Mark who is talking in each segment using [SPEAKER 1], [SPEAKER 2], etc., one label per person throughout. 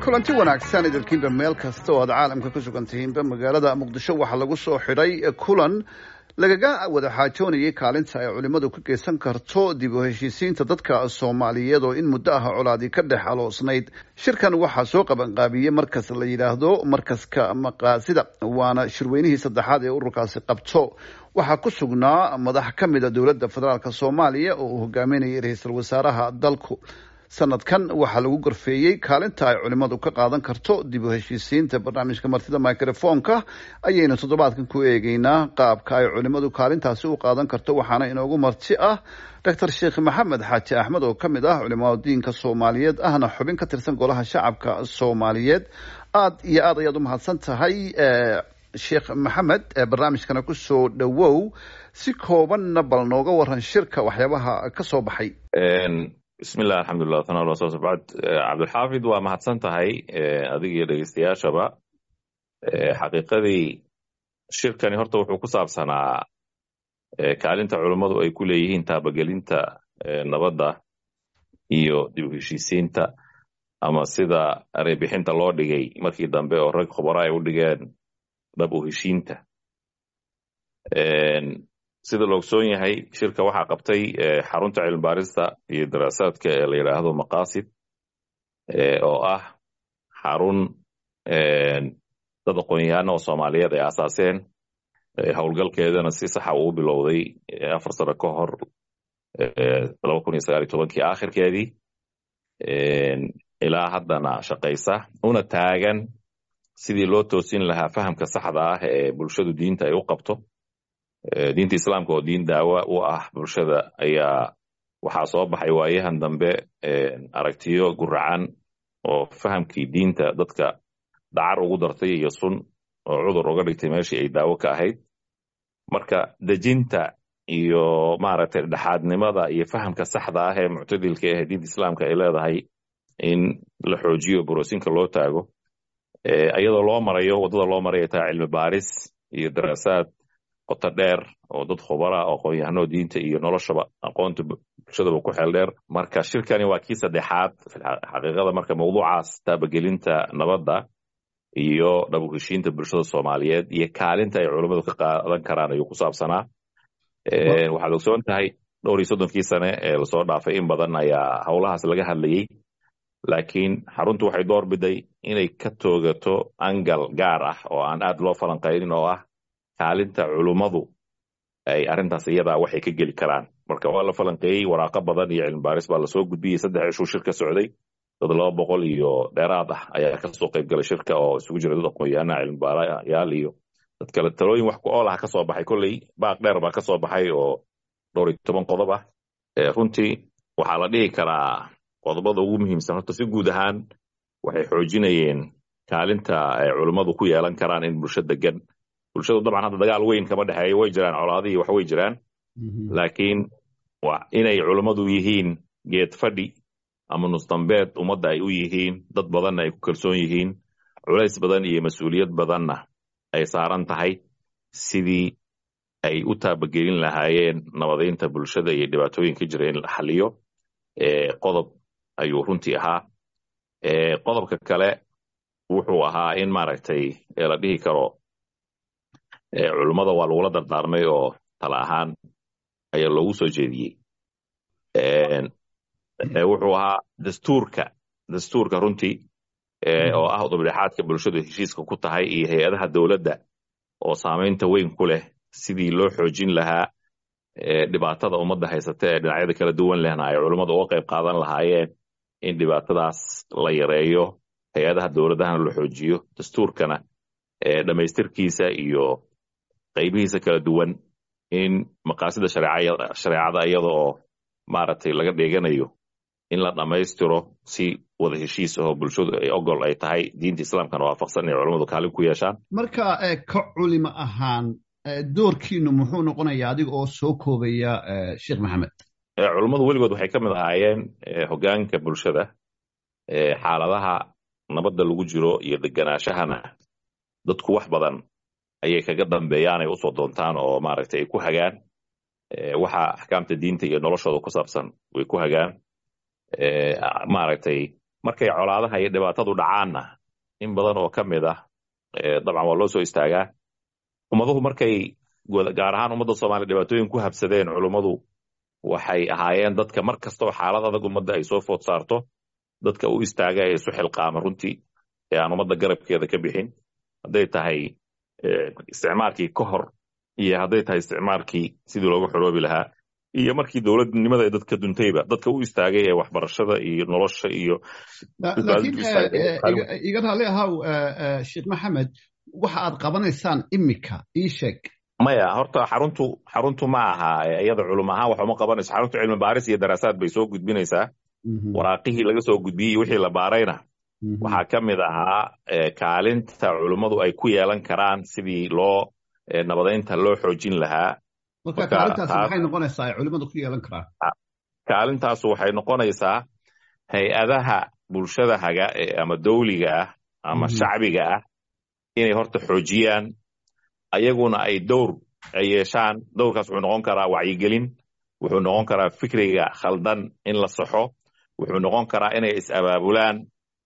[SPEAKER 1] Kulanti wanaagsan idilkiinba meel kasta oo aad caalamka ku sugan tihiinba. Magaalada Muqdisho waxaa lagu soo xidhay kulan lagaga wada xaajoonayay kaalinta ay culimmadu ka geysan karto dib u heshiisiinta dadka Soomaaliyeed oo in muddo ah colaadii ka dhex aloosnayd. Shirkan waxaa soo qabanqaabiyey markas la yidhaahdo Markaska Maqaasida, waana shirweynihii saddexaad ee ururkaasi qabto. Waxaa ku sugnaa madax ka mida dowladda federaalk Soomaaliya oo uu hogaaminayay ra-iisul wasaaraha dalku. Sanadkan waxaa lagu gorfeeyey kaalinta ay culimmadu ka qaadan karto dib u heshiisiinta. Barnaamijka Martida Microfoonka ayaynu toddobaadkan ku eegeynaa qaabka ay culimmadu kaalintaasi u qaadan karto, waxaana inoogu marti ah Doctor Sheekh Maxamed Xaaji Axmed oo ka mid ah culimada diinka Soomaaliyeed, ahna xubin ka tirsan Golaha Shacabka Soomaaliyeed. Aad iyo aad ayaad u mahadsan tahay, Sheekh Maxamed, barnaamijkana kusoo dhowow. Si koobanna bal nooga waran shirka waxyaabaha ka soo baxay.
[SPEAKER 2] Bismillah, alxamdulilah, tana bacd. Cabdulxaafid, waa mahadsan tahay adiga iyo dhegeystayaashaba. Xaqiiqadii shirkani horta wuxuu ku saabsanaa kaalinta culummadu ay ku leeyihiin taabagelinta nabadda iyo dib u heshiisiinta, ama sida ereybixinta loo dhigay markii dambe oo rag khubara ay u dhigeen, dhab u heshiinta. Sida la ogsoon yahay, shirka waxaa qabtay xarunta cilmibaarista iyo daraasaadka ee la yidhaahdo Maqaasid, oo ah xarun dad aqoon-yahano oo Soomaaliyeed ay aasaaseen, howlgalkeedana si saxa uu bilowday 4 sano ka hor, 2019-kii aakhirkeedii, ilaa haddana shaqaysa, una taagan sidii loo toosin lahaa fahamka saxda ah ee bulshadu diinta ay u qabto. Diinta Islaamka oo diin daawa u ah bulshada ayaa waxaa soo baxay waayahan dambe aragtiyo guracan oo fahamkii diinta dadka dacar ugu dartay iyo sun oo cudur uga dhigtay meeshii ay daawo ka ahayd. Marka dejinta iyo maaragtay dhexaadnimada iyo fahamka saxda ah ee muctadilka ah ee diinta Islaamka ay leedahay in la xoojiyo, boroosinka loo taago, iyadoo loo marayo waddada loo marayo taa cilmi baaris iyo daraasaad qoto dheer oo dad khubara oo aqoon-yahano diinta iyo noloshaba, aqoonta bulshadaba ku xeel dheer. Marka shirkani waa kii saddexaad xaqiiqada. Marka mawduucaas taabagelinta nabadda iyo dhab u heshiinta bulshada Soomaaliyeed iyo kaalinta ay culummadu ka qaadan karaan ayuu ku saabsanaa. Waxaad ogsoon tahay dhowr iyo soddonkii sane ee lasoo dhaafay in badan ayaa howlahaas laga hadlayey, laakiin xaruntu waxay door biday inay ka toogato angal gaar ah oo aan aad loo falanqaynin, oo ah kaalinta culummadu ay arrintaas iyadaa waxay ka geli karaan. Marka waa la falanqeeyey, waraaqo badan iyo cilmi baaris baa lasoo gudbiyey. 3 cishuu shirka socday, dad 200 iyo dheeraad ah ayaa kasoo qayb galay shirka, oo isugu jira dad aqoon-yahana, cilmi baarayaal iyo dad kale. Talooyin wax ku ool ah kasoo baxay, kolley baaq dheer baa kasoo baxay oo dhowr iyo toban qodob ah. Runtii waxaa la dhihi karaa qodobada ugu muhiimsan horta si guud ahaan waxay xoojinayeen kaalinta ay culummadu ku yeelan karaan in bulsho degan. Bulshadu dabcan hadda dagaal weyn kama dhexeeyo, way jiraan colaadihii, wax way jiraan, laakiin waa inay culummadu yihiin geed fadhi ama nusdambeed ummadda ay u yihiin, dad badanna ay ku kalsoon yihiin, culays badan iyo mas-uuliyad badanna ay saaran tahay sidii ay u taabagelin lahaayeen nabadeynta bulshada iyo dhibaatooyinka jira in la xaliyo. Qodob ayuu runtii ahaa. Qodobka kale wuxuu ahaa in maaragtay la dhihi karo culummada waa lagula dardaarmay oo tala ahaan ayaa loogu soo jeediyey. Wuxuu ahaa dastuurka runtii oo ah udubdhexaadka bulshadu heshiiska ku tahay iyo hay-adaha dowladda oo saamaynta weyn ku leh, sidii loo xoojin lahaa dhibaatada ummadda haysata ee dhinacyada kala duwan lehna ay culummadu uga qayb qaadan lahaayeen in dhibaatadaas la yareeyo, hay-adaha dowladahana la xoojiyo, dastuurkana dhammaystirkiisa iyo qaybihiisa kala duwan in maqaasida shareecada iyada oo maaragtay laga dheeganayo in la dhammaystiro si wada heshiis ahoo bulshadu ay ogol ay tahay, diinta Islaamkana waafaqsan, inay culummadu kaalin ku yeeshaan.
[SPEAKER 1] Marka ka culimo ahaan doorkiinu muxuu noqonayaa, adiga oo soo koobaya, Sheekh Maxamed?
[SPEAKER 2] Culummadu weligood waxay ka mid ahaayeen hoggaanka bulshada. Xaaladaha nabadda lagu jiro iyo deganaashahana dadku wax badan ayay kaga dambeeyaan, ay usoo doontaan oo maaragtay ay ku hagaan waxa axkaamta diinta iyo noloshooda ku saabsan way ku hagaan maaragtay. Markay colaadaha iyo dhibaatadu dhacaanna in badan oo ka mid ah dabcan waa loo soo istaagaa. Ummaduhu markay, gaar ahaan ummadda Soomaaliya, dhibaatooyin ku habsadeen, culummadu waxay ahaayeen dadka mar kastoo xaalad adag ummadda ay soo food saarto dadka u istaaga ee isu xilqaama runtii, ee aan ummadda garabkeeda ka bixin, hadday tahay isticmaalkii ka hor iyo hadday tahay isticmaalkii sidii looga xoroobi lahaa iyo markii dowladnimada ee dadka duntayba, dadka u istaagay ee waxbarashada iyo nolosha iyo
[SPEAKER 1] Laakiin iga raalli ahaw, Sheekh Maxamed, waxa aad qabanaysaan imika ii sheeg.
[SPEAKER 2] Maya, horta xaruntu ma aha iyada culum ahaan wax uma qabanayso. Xaruntu cilmi baaris iyo daraasaad bay soo gudbinaysaa. Waraaqihii laga soo gudbiyey, wixii la baarayna waxaa ka mid ahaa kaalinta culummadu ay ku yeelan karaan sidii loo nabadaynta loo xoojin lahaa.
[SPEAKER 1] Marka kaalintaasi maxay noqonaysaa ay culimmadu ku yeelan karaan?
[SPEAKER 2] Kaalintaasu waxay noqonaysaa hay-adaha bulshada haga ama dawliga ah ama shacbiga ah inay horta xoojiyaan, ayaguna ay dowr ay yeeshaan. Dowrkaas wuxuu noqon karaa wacyigelin, wuxuu noqon karaa fikriga khaldan in la saxo, wuxuu noqon karaa inay is-abaabulaan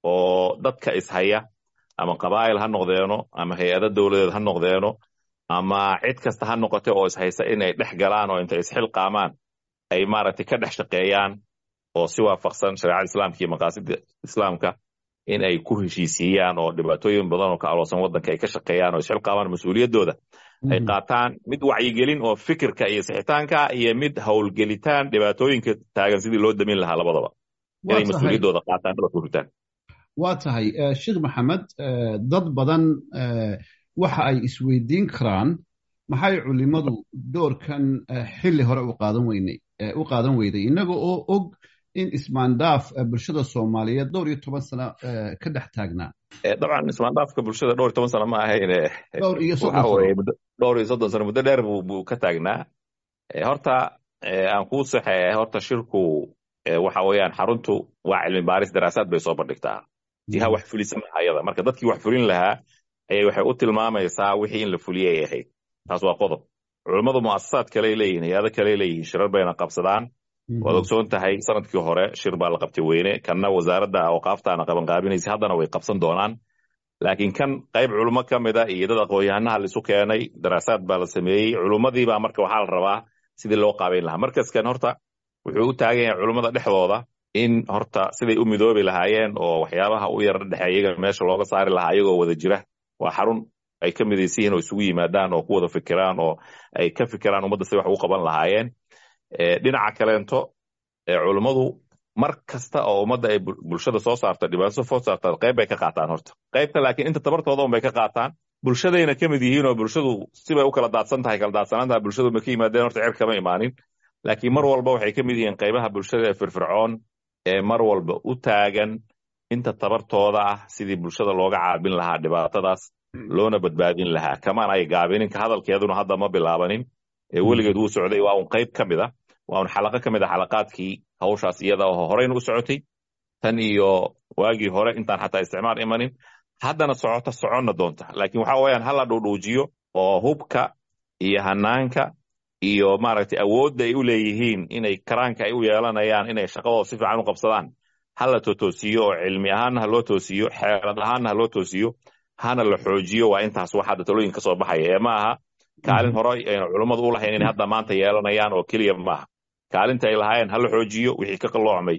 [SPEAKER 2] oo dadka ishaya, ama qabaa'il ha noqdeeno ama hay-ado dowladeed ha noqdeeno ama cid kasta ha noqote oo ishaysa, inay dhex galaan oo intay isxilqaamaan ay maaragtay ka dhex shaqeeyaan oo si waafaqsan shareecada islaamka iyo maqaasida islaamka in ay ku heshiisiiyaan oo dhibaatooyin badan oo ka aloosan waddanka ay ka shaqeeyaan oo isxilqaamaan, mas-uuliyaddooda ay qaataan, mid wacyigelin oo fikirka iyo sixitaanka iyo mid howlgelitaan dhibaatooyinka taagan sidii loo damin lahaa, labadaba inay mas-uuliyaddooda qaataan, dhabarka ku ritaan.
[SPEAKER 1] Waa tahay, Sheekh Maxamed, dad badan waxa ay isweydiin karaan maxay culimadu doorkan xilli hore u qaadan weynay u qaadan weyday, innaga oo og in ismaandhaaf bulshada Soomaaliyeed dhowr iyo toban sano ka dhex taagnaa.
[SPEAKER 2] Dabcan ismaandhaafka bulshada dhowr iyo toban sano ma ahayn.
[SPEAKER 1] Dhowr iyo 30 sano.
[SPEAKER 2] Dhowr iyo 30 sano, muddo dheer buu ka taagnaa. Horta aan kuu saxee, horta shirku waxa weeyaan xaruntu waa cilmi baaris, daraasaad bay soo bandhigtaa, jiha wax fulisa maaha iyada. Marka dadkii wax fulin lahaa ayay waxay u tilmaamaysaa wixii in la fuliyay ay ahayd. Taas waa qodob. Culummadu mu'asasaad kaley leeyihin, hay-ado kaley leeyihiin, shirar bayna qabsadaan. Waad ogsoon tahay, sanadkii hore shir baa la qabtay weyne, kanna wasaaradda awqaaftaana qabanqaabinaysa, haddana way qabsan doonaan. Laakiin kan qayb culummo ka mida iyo dad aqoon-yahanaha laisu keenay, daraasaad baa la sameeyey. Culummadii baa marka waxaa la rabaa sidii loo qaabayn lahaa. Markaskan horta wuxuu u taagan yahay culummada dhexdooda in horta siday u midoobi lahaayeen oo waxyaabaha u yara dhexeeya iyaga meesha looga saari lahaa iyagoo wada jira. Waa xarun ay ka midaysan yihiin oo isugu yimaadaan oo ku wada fikiraan oo ay ka fikiraan ummadda si wax ugu qaban lahaayeen. Dhinaca kaleento, culummadu mar kasta oo ummadda ay bulshada soo saarta dhibaato soo saarta, qayb bay ka qaataan horta qaybta, laakiin inta tabartooda un bay ka qaataan. Bulshadayna ka mid yihiin oo bulshadu sibay u kala daadsan tahay, kala daadsanaantaha bulshadu ma ka yimaadeen, horta cer kama imaanin, laakiin mar walba waxay ka mid yihiin qaybaha bulshada ee firfircoon ee mar walba u taagan inta tabartooda ah sidii bulshada looga caabin lahaa dhibaatadaas loona badbaadin lahaa. Kamaan ay gaabinin, ka hadalkeeduna hadda ma bilaabanin ee weligeed wuu socday. Waa un qayb ka mid ah, waa un xalaqo ka mid a xalaqaadkii hawshaas iyada oo horeyna u socotay tan iyo waagii hore intaan xataa isticmaar imanin, haddana socota, soconna doonta. Laakiin waxa weeyaan hala dhuudhuujiyo oo hubka iyo hanaanka iyo maaragtay awoodda ay u leeyihiin inay karaanka ay u yeelanayaan inay shaqadooda si fiican u qabsadaan hala totoosiyo, oo cilmi ahaanna ha loo toosiyo, xeelad ahaanna ha loo toosiyo, hana la xoojiyo. Waa intaas wax hadda talooyin ka soo baxaya ee ma aha kaalin hore ayna culummadu u lahayn inay hadda maanta yeelanayaan oo keliya maaha. Kaalinta ay lahaayeen hala xoojiyo, wixii ka qalloocmay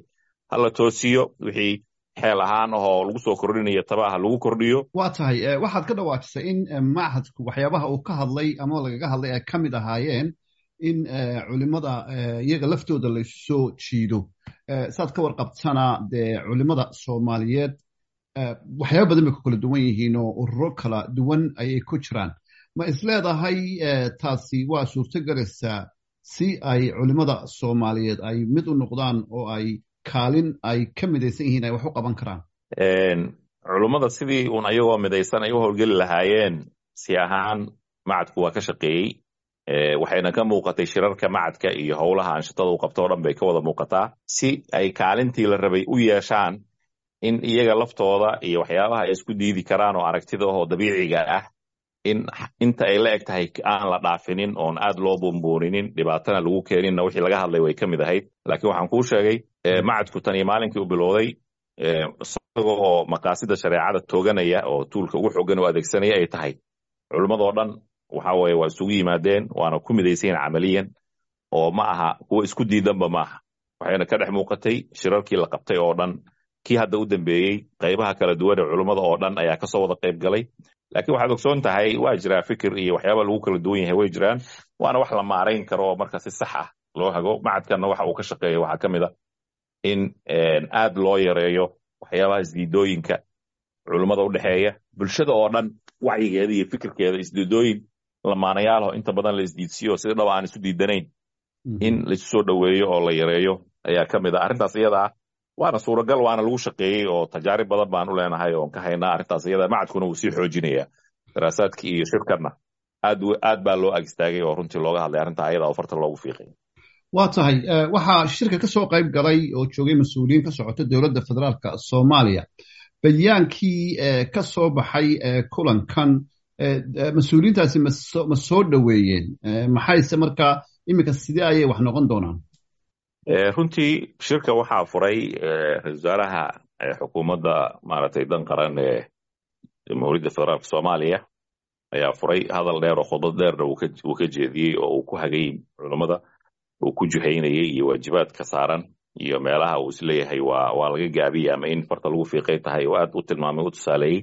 [SPEAKER 2] hala toosiyo, wixii xeel ahaan ahoo lagu soo kordhinayo tabaha lagu kordhiyo.
[SPEAKER 1] Waa tahay, waxaad ka dhawaajisay in machadku waxyaabaha uu ka hadlay ama lagaga hadlay ay ka mid ahaayeen in culimada iyaga laftooda laysu soo jiido. Saad ka warqabtana dee culimada Soomaaliyeed waxyaaba badan bay ku kala duwan yihiin oo ururo kala duwan ayay ku jiraan. Ma isleedahay taasi waa suurto galaysaa si ay culimada Soomaaliyeed ay mid u noqdaan oo ay kaalin ay ka midaysan yihiin ay wax u qaban karaan?
[SPEAKER 2] Culummada sidii uun ayagoo midaysan ay u howlgeli lahaayeen si ahaan macadku waa ka shaqeeyey, waxayna ka muuqatay shirarka macadka iyo howlaha anshatada u qabto o dhan bay ka wada muuqataa, si ay kaalintii la rabay u yeeshaan in iyaga laftooda iyo waxyaabaha ay isku diidi karaan oo aragtida oo dabiiciga ah in inta ay la eg tahay aan la dhaafinin oon aad loo buunbuuninin, dhibaatana lagu keeninna wixii laga hadlay way ka mid ahayd. Laakiin waxaan kuu sheegay, macadku tan iyo maalinkii u bilowday Isaga oo maqaasida shareecada tooganaya oo tuulka ugu xoogan oo adeegsanaya ay tahay, culimmadoo dhan waxa weeye waa isugu yimaadeen, waana ku midaysan yihiin camaliyan, oo ma aha kuwa isku diidanba maaha. Waxayna ka dhex muuqatay shirarkii la qabtay oo dhan, kii hadda u dambeeyey, qaybaha kala duwan ee culummada oo dhan ayaa kasoo wada qayb galay. Laakiin waxaad ogsoon tahay waa jiraa fikir iyo waxyaaba lagu kala duwan yahay, way jiraan, waana wax la maarayn karo oo marka si sax ah loo hago. Macadkanna waxa uu ka shaqeeya waxaa ka mid a in aad loo yareeyo waxyaabaha isdiidooyinka culummada u dhexeeya, bulshada oo dhan wacyigeeda iyo fikirkeeda. Isdiidooyin lamaanayaalaho inta badan la isdiidsiyo, sida dhaba aan isu diidanayn, in laisu soo dhoweeyo oo la yareeyo ayaa ka mid ah arrintaas iyada ah. Waana suuragal, waana lagu shaqeeyey, oo tajaarib badan baan u leenahay oon ka haynaa arrintaas iyada. Macadkuna wuu sii xoojinayaa daraasaadkii iyo shirkanna aad aad baa loo ag istaagay oo runtii looga hadlay arrintaa ayada oo farta loogu fiiqay.
[SPEAKER 1] Waa tahay. Waxaa shirka ka soo qayb galay oo joogay mas-uuliyiin ka socota dowladda federaalka Soomaaliya. Bayaankii ka soo baxay kulankan mas-uuliyiintaasi ma soo dhoweeyeen? Maxayse markaa iminka sidee ayay wax noqon doonaan?
[SPEAKER 2] Runtii shirka waxaa furay ra-isul wasaaraha xukuumadda maaragtay dan qaran ee Jamhuuriyadda Federaalka Soomaaliya ayaa furay. Hadal dheer oo khudbad dheerna uu ka jeediyey oo uu ku hagay culummada, uu ku juhaynayay iyo waajibaadka saaran iyo meelaha uu isleeyahay waa laga gaabiyey ama in farta lagu fiiqay tahay, oo aad u tilmaamay, u tusaaleeyey.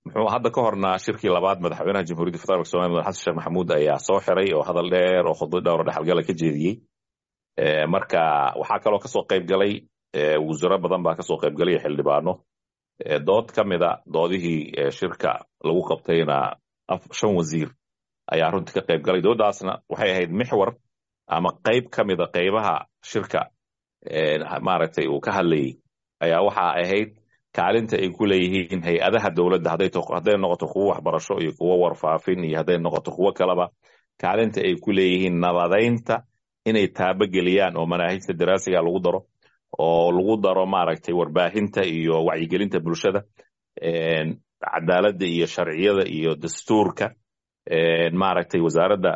[SPEAKER 2] Muxuu hadda ka horna shirkii labaad madaxweynaha Jamhuuriyadda Federaalka Somalia, Madax Xasan Sheekh Maxamuud, ayaa soo xiray oo hadal dheer oo khudbad dheer oo dhexalgala ka jeediyey. Marka waxaa kaloo kasoo qayb galay wasiiro badan baa kasoo qayb galay, xildhibaano. Dood ka mida doodihii shirka lagu qabtayna shan wasiir ayaa runtii ka qayb galay. Doodaasna waxay ahayd mixwar ama qayb ka mida qaybaha shirka maaragtay uu ka hadlayay ayaa waxaa ahayd kaalinta ay ku leeyihiin hay-adaha dowladda, hadday noqoto kuwo waxbarasho iyo kuwo warfaafin iyo hadday noqoto kuwo kaleba, kaalinta ay ku leeyihiin nabadaynta inay taabageliyaan oo manaahijta daraasiga lagu daro, oo lagu daro maaragtay warbaahinta iyo wacyigelinta bulshada, cadaaladda iyo sharciyada iyo dastuurka, maaragtay wasaaradda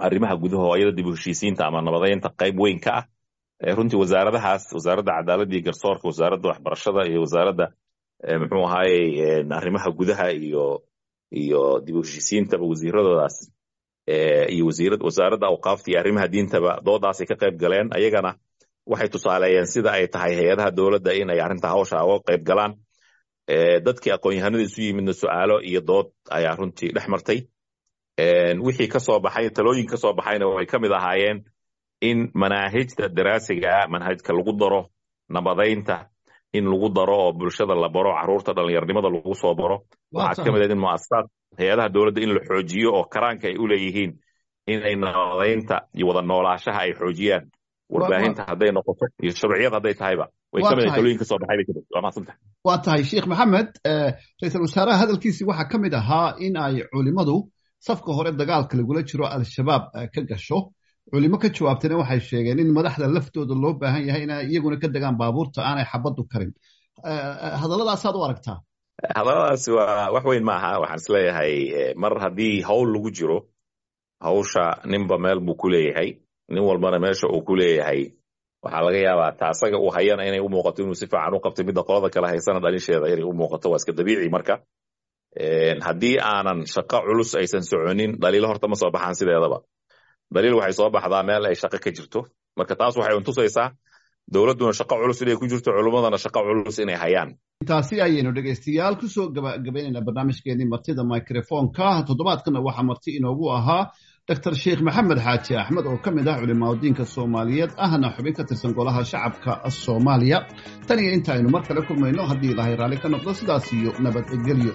[SPEAKER 2] arrimaha gudaha oo iyada dib u heshiisiinta ama nabadaynta qayb weyn ka ah. Runtii wasaaradahaas, wasaaradda cadaaladda iyo garsoorka, wasaaradda waxbarashada iyo wasaaradda muxuu ahaayey arrimaha gudaha iyo dib u heshiisiintaba, wasiiradoodaas iyo wasaaradda awqaafta iyo arrimaha diintaba doodaasay ka qayb galeen. Ayagana waxay tusaaleeyeen sida ay tahay hay-adaha dowladda in ay arrinta hawsha uga qayb galaan. Dadkii aqoon-yahanada isu yimidna su-aalo iyo dood ayaa runtii dhex martay. Wixii ka soo baxay, talooyin ka soo baxayna way ka mid ahaayeen in manaahijta daraasiga ah manhajka lagu daro nabadaynta, in lagu daro oo bulshada la baro, caruurta dhallinyarnimada lagu soo baro. Waxaa ka mid ah in muasasaad hay-adaha dowladda in la xoojiyo oo karaanka ay u leeyihiin inay nabadaynta iyo wada noolaashaha ay xoojiyaan, warbaahinta hadday noqoto iyo sharciyad hadday tahayba, way ka mid talooyin ka soo baxay bay kamid. Waa mahadsantahay.
[SPEAKER 1] Waa tahay, Sheekh Maxamed. Ra-iisul wasaaraha hadalkiisii waxaa ka mid ahaa in ay culimadu safka hore dagaalka lagula jiro Al-Shabaab ka gasho. Culimo ka jawaabtayna waxay sheegeen in madaxda laftooda loo baahan yahay inay iyaguna ka degaan baabuurta aanay xabaddu karin. Hadalladaasaad u aragtaa?
[SPEAKER 2] Hadalladaasi waa wax weyn maaha. Waxaan isleeyahay mar haddii hawl lagu jiro, hawsha ninba meel buu ku leeyahay, nin walbana meesha uu ku leeyahay waxaa laga yaabaa ta asaga uu hayana inay u muuqato inuu si fiican u qabtay, midda qolada kale haysana dhalisheeda inay u muuqato. Waa iska dabiici. Marka haddii aanan shaqo culus aysan soconin, dhaliilo horta ma soo baxaan sideedaba. Daliil waxay soo baxdaa meel ay shaqo ka jirto. Marka taas waxay untusaysaa dowladduna shaqo culus inay ku jirto, culummadana shaqo culus inay hayaan.
[SPEAKER 1] Intaasi ayaynu dhegaystayaal kusoo gabagabaynaynaa barnaamijkeenii martida microfonka. Toddobaadkana waxaa marti inoogu ahaa Doctor Sheekh Maxamed Xaaji Axmed oo ka mid ah culimaadudiinka Soomaaliyeed, ahna xubin ka tirsan golaha shacabka Soomaaliya. Tan iyo inta aynu mar kale kulmayno, haddii Ilaahay raalli ka noqdo, sidaas iyo nabadgelyo.